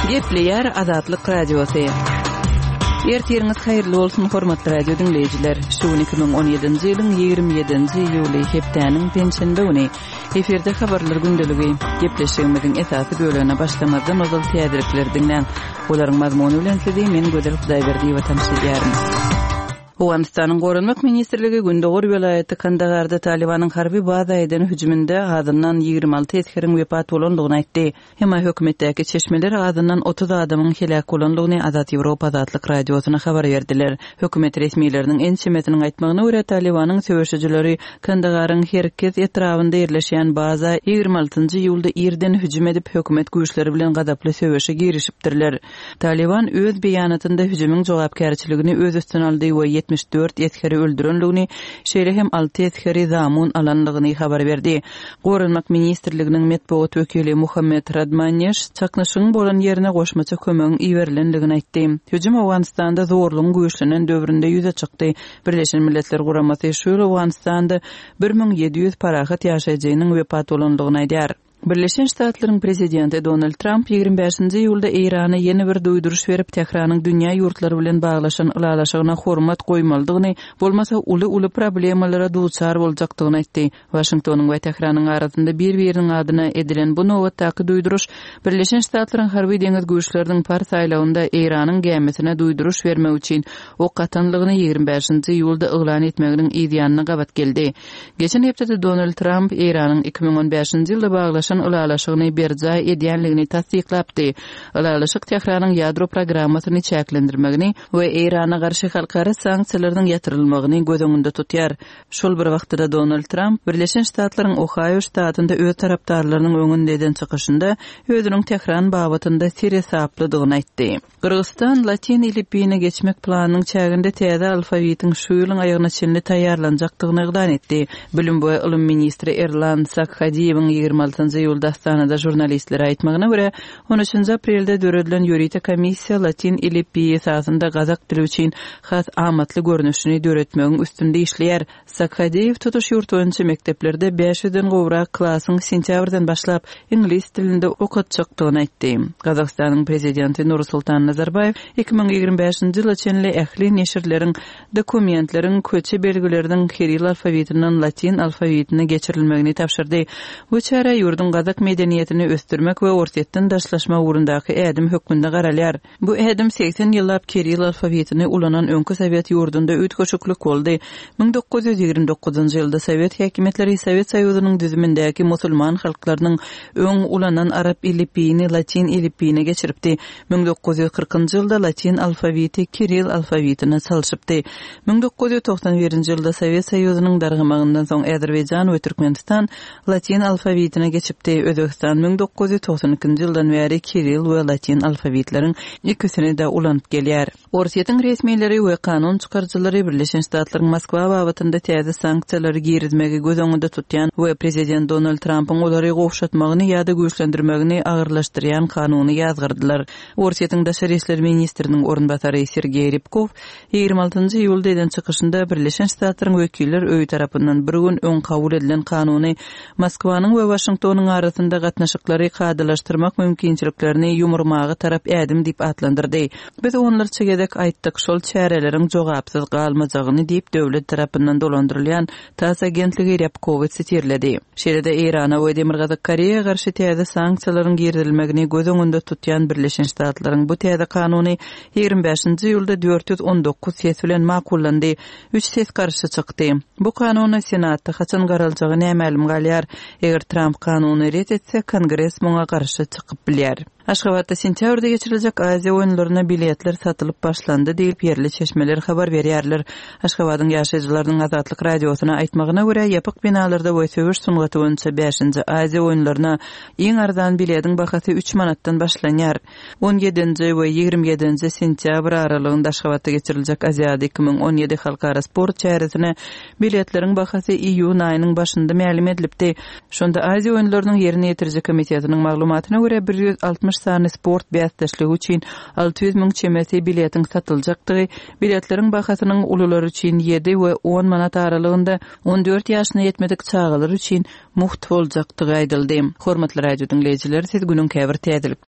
Gepleýär Azatlyk Radiosy. Ertiriňiz haýyrly bolsun, hormatly radio diňleýjiler. Şu gün 2017-nji ýylyň 27-nji iýuly, hepdäniň penşenbe güni. Efirde habarlar gündeligi. Gepleşigimiziň esasy bölegine başlamazdan ozal täzelikleri diňläň. Olaryň mazmuny bilen sizi men Gözel Hudaýberdiýewa tanyş edýärin. Owganystanyň Goranmak ministrligi gündogar welaýaty Kandagarda Talybanyň harby baza eden hüjüminde azyndan 26 esgeriň wepat bolandygyny aýtdy. Emma hökümetdäki çeşmeler azyndan 30 adamyň heläk bolandygyny Azat Ýewropa Azatlyk Radiosyna habar berdiler. Hökümet resmileriniň ençemesiniň aýtmagyna görä, Talybanyň söweşijileri Kandagaryň Herkez etrabynda ýerleşýän baza 26-njy iýulda irden hüjüm edip, hökümet güýçleri bilen gazaply söweşe girişipdirler. Talyban öz beýanatynda hüjümiň jogapkärçiligini öz üstüne aldy we 74 esgeri öldürendigini, şeýle hem alty esgeri zamun alandygyny habar berdi. Goranmak ministrliginiň metbugat wekili Muhammet Radmaneş çaknyşygyň bolan ýerine goşmaça kömegiň iberilendigini aýtdy. Hüjüm Owganystanda zorlugyň güýçlenen döwründe ýüze çykdy. Birleşen Milletler Guramasy şu ýyl Owganystanda 1700 parahat ýaşaýjynyň wepat bolandygyny aýdýar. Birleşen Ştatlaryň prezidenti Donald Tramp 25-nji iýulda Eýrana ýene bir duýduryş berip, Tähranyň dünýä ýurtlary bilen baglaşan ylalaşygyna hormat goýmalydygyny, bolmasa uly-uly problemalara duçar boljakdygyny aýtdy. Waşingtonyň we Tähranyň arasynda bir-biriniň adyna edilen bu nobatdaky duýduryş Birleşen Ştatlaryň harby-deňiz güýçleriniň Pars aýlagynda Eýranyň gämisine duýduryş bermek üçin ok atanlygyny 25-nji iýulda yglan etmeginiň yzýanyna gabat geldi. Geçen hepdede Donald Tramp Eýranyň 2015-nji ýylda baglaşan ylalaşygyny berjaý edýänligini tassyklapdy. Ylalaşyk Tähranyň ýadro programmasyny çäklendirmegini we Eýrana garşy halkara sanksiýalarynyň ýatyrylmagyny göz öňünde tutýar. Şol bir wagtda-da Donald Tramp Birleşen Ştatlaryň Ohaýo ştatynda öz tarapdarlarynyň öňünde eden çykyşynda özüniň Tähran babatynda seresaplydygyny aýtdy. Gyrgyzystan latyn elipbiýine geçmek planynyň çäginde täze alfawitiň şu ýylyň aýagyna çenli taýýarlanjakdygyny yglan etdi. Bilim we ylym ministri Erlan Sakhadiýewiň 26 iýulda Astanada žurnalistlere aýtmagyna görä, on üçünji aprelde döredilen ýörite komissiýa latyn elipbiýi esasynda gazak dili üçin has amatly görnüşini döretmegiň üstünde işleýär. Sakhadeýew tutuş ýurt boýunça mekdeplerde 500-den gowrak klasyň sentýabrdan başlap iňlis dilinde okatjakdygyny aýtdy. Gazagystanyň prezidenti Nursultan Nazarbaýew 2025-nji ýyla çenli ähli neşirleriň, dokumentleriň, köçe belgileriniň kirill alfawitinden latyn alfawitine geçirilmegini tabşyrdy. Bu çärä ýurduň gazak medeniýetini ösdürmek we Orsýetden daşlaşmak ugrundaky ädim hökmünde garalýar. Bu ädim 80 ýyllap kirill alfawitini ulanan öňki sowet ýurdunda üýtgeşiklik boldy. 1929-njy ýylda sowet häkimiýetleri Sowet Soýuzynyň düzümindäki musulman halklarynyň öň ulanan arap elipbiýini latyn elipbiýine geçiripdi. 1940-njy ýylda latyn alfawiti kirill alfawitine çalşypdy. 1991-nji ýylda Sowet Soýuzynyň dargamagyndan soň Azerbaýjan we Türkmenistan Latyn alfawitine geçipdi. Özbegistan 1992-nji ýyldan bäri kirill we latyn alfawitleriň ikisini-de ulanyp gelýär. Orsýetiň resmileri we kanun çykaryjylary Birleşen Ştatlaryň Moskwa babatynda täze sanksiýalary girizmegi göz öňünde tutýan we prezident Donald Trampyň olary gowşatmagyny ýa-da güýçlendirmegini agyrlaşdyrýan kanuny ýazgardylar. Orsýetiň daşary işler ministriniň orunbasary Sergeý Rýabkow 26-njy iýulda eden çykyşynda Birleşen Ştatlaryň Wekiller öýi tarapyndan bir gün öň kabul edilen kanuny Moskwanyň we Waşingtonyň arasynda gatnaşyklary kadalaşdyrmak mümkinçiliklerini ýumurmaga tarap ädim diýip atlandyrdy. Biz onlarça gezek aýtdyk, şol çäreleriň jogapsyz galmajagyny diýip, döwlet tarapyndan dolandyrylýan TASS agentligi Rýabkowy sitirledi. Şeýle-de Eýrana we Demirgazyk Koreýa garşy täze sanksiýalaryň girizilmegini göz öňünde tutýan Birleşen Ştatlaryň bu täze kanuny 25-nji iýulda 419 ses bilen makullandy, üç ses garşy çykdy. Bu kanuna Senatda haçan garaljagy nämälim galýar. Eger Tramp kanuny ret etse, Kongres muňa garşy çykyp bilýär. Aşgabatda sentýabrda geçiriljek Aziýa oýunlaryna biletler satylyp başlandy diýlip, ýerli çeşmeler habar berýärler. Aşgabadyň ýaşaýjylarynyň Azatlyk Radiosyna aýtmagyna görä, ýapyk binalarda we söweş sungaty boýunça bäşinji Aziýa oýunlaryna iň arzan bilediň bahasy üç manatdan başlanýar. On ýedinji we 27-nji sentýabr aralygynda Aşgabatda geçiriljek Aziada 2017 halkara sport çäresine biletleriň bahasy iýun aýynyň başynda mälim edilipdi. Şonda Aziýa oýunlarynyň ýerine ýetiriji komitetiniň maglumatyna görä, 160 sany sport bäsdeşligi üçin 600 müň çemesi biletiň satyljakdygy, biletleriň bahasynyň ulular üçin ýedi we on manat aralygynda, 14 ýaşyna ýetmedik çagalar üçin mugt boljakdygy aýdyldy. Hormatly radio diňleýjiler, siz günüň käbir täzeliklerini.